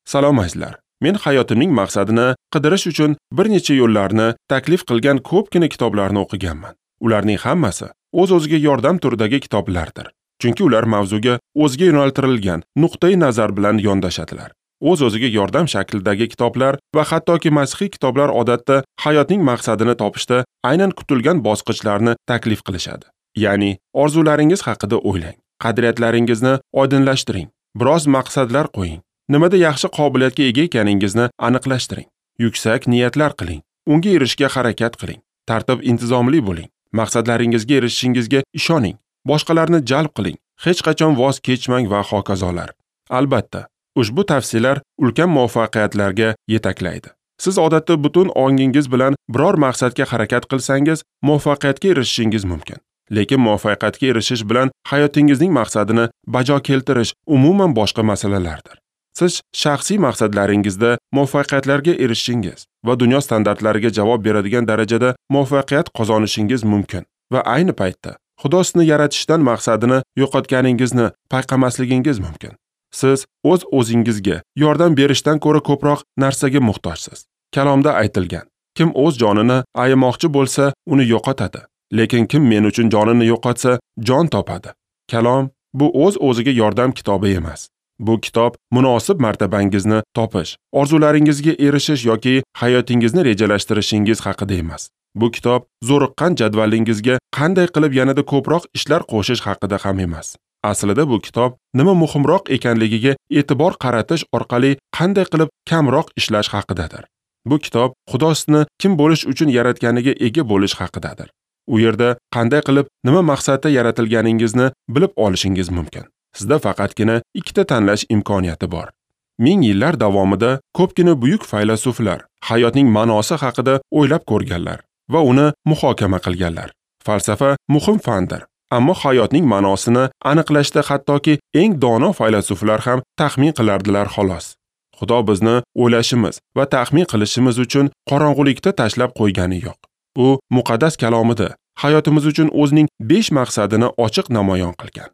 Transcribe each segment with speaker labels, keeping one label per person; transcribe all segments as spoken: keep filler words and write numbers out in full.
Speaker 1: Salom azizlar. Men hayotimning maqsadini qidirish uchun bir necha yo'llarni taklif qilgan ko'pgina kitoblarni o'qiganman. Ularning hammasi o'z-o'ziga yordam turidagi kitoblardir. Chunki ular mavzuga o'ziga yo'naltirilgan nuqtai nazar bilan yondashadilar. O'z-o'ziga yordam shaklidagi kitoblar va hattoki masihiy kitoblar odatda hayotning maqsadini topishda aynan kutilgan bosqichlarni taklif qilishadi. Ya'ni orzularingiz haqida o'ylang, qadriyatlaringizni oydinlashtiring, biroz maqsadlar qo'ying, nimada yaxshi qobiliyatga ega ekaningizni aniqlashtiring, yuksak niyatlar qiling, unga erishishga harakat qiling, tartib intizomli bo'ling, maqsadlaringizga erishishingizga ishoning, boshqalarni jalb qiling, hech qachon voz kechmang va hokazolar. Albatta, ushbu tavsiyalar ulkan muvaffaqiyatlarga yetaklaydi. Siz odatda butun ongingiz bilan biror maqsadga harakat qilsangiz, muvaffaqiyatga erishishingiz mumkin. Lekin muvaffaqiyatga erishish bilan hayotingizning maqsadini bajo keltirish umuman boshqa masalalardir. Siz shaxsiy maqsadlaringizda muvaffaqiyatlarga erishishingiz va dunyo standartlariga javob beradigan darajada muvaffaqiyat qozonishingiz mumkin va ayni paytda Xudo sizni yaratishdan maqsadini yo'qotganingizni payqamasligingiz mumkin. Siz o'z o'zingizga yordam berishdan ko'ra ko'proq narsaga muhtojsiz. Kalomda aytilgan: kim o'z jonini ayamoqchi bo'lsa, uni yo'qotadi. Lekin kim men uchun jonini yo'qotsa, jon topadi. Kalom bu o'z o'ziga yordam kitobi emas. Bu kitob munosib martabangizni topish, orzularingizga erishish yoki hayotingizni rejalashtirishingiz haqida emas. Bu kitob zo'riqqan jadvalingizga qanday qilib yanada ko'proq ishlar qo'shish haqida ham emas. Aslida bu kitob nima muhimroq ekanligiga e'tibor qaratish orqali qanday qilib kamroq ishlash haqidadir. Bu kitob Xudo sizni kim bo'lish uchun yaratganiga ega bo'lish haqidadir. U yerda qanday qilib nima maqsadda yaratilganingizni bilib olishingiz mumkin. Sizda faqatgina ikkita tanlash imkoniyati bor. Ming yillar davomida ko'pgina buyuk faylasuflar hayotning ma'nosi haqida o'ylab ko'rganlar va uni muhokama qilganlar. Falsafa muhim fandir, ammo hayotning ma'nosini aniqlashda hattoki eng dono faylasuflar ham taxmin qilardilar xolos. Xudo bizni o'ylashimiz va taxmin qilishimiz uchun qorong'ulikda tashlab qo'ygani yo'q. U muqaddas kalomida hayotimiz uchun o'zining besh maqsadini ochiq namoyon qilgan.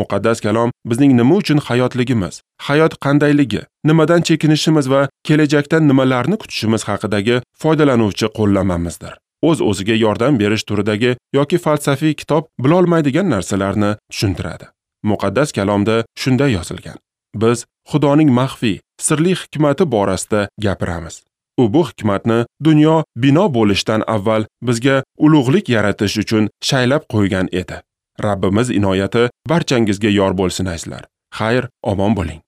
Speaker 1: Muqaddas kalom bizning nima uchun hayotligimiz, hayot qandayligi, nimadan chekinishimiz va kelajakdan nimalarni kutishimiz haqidagi foydalanuvchi qo'llanmamizdir. O'z-o'ziga yordam berish turidagi yoki falsafiy kitob bilolmaydigan narsalarni tushuntiradi. Muqaddas kalomda shunday yozilgan: biz Xudoning maxfiy, sirli hikmati borasida gapiramiz. U bu hikmatni dunyo bino bo'lishdan avval bizga ulug'lik yaratish uchun shaylab qo'ygan edi. Rabbimiz inoyati barchangizga yor bo'lsin azizlar. Xayr, omon bo'ling.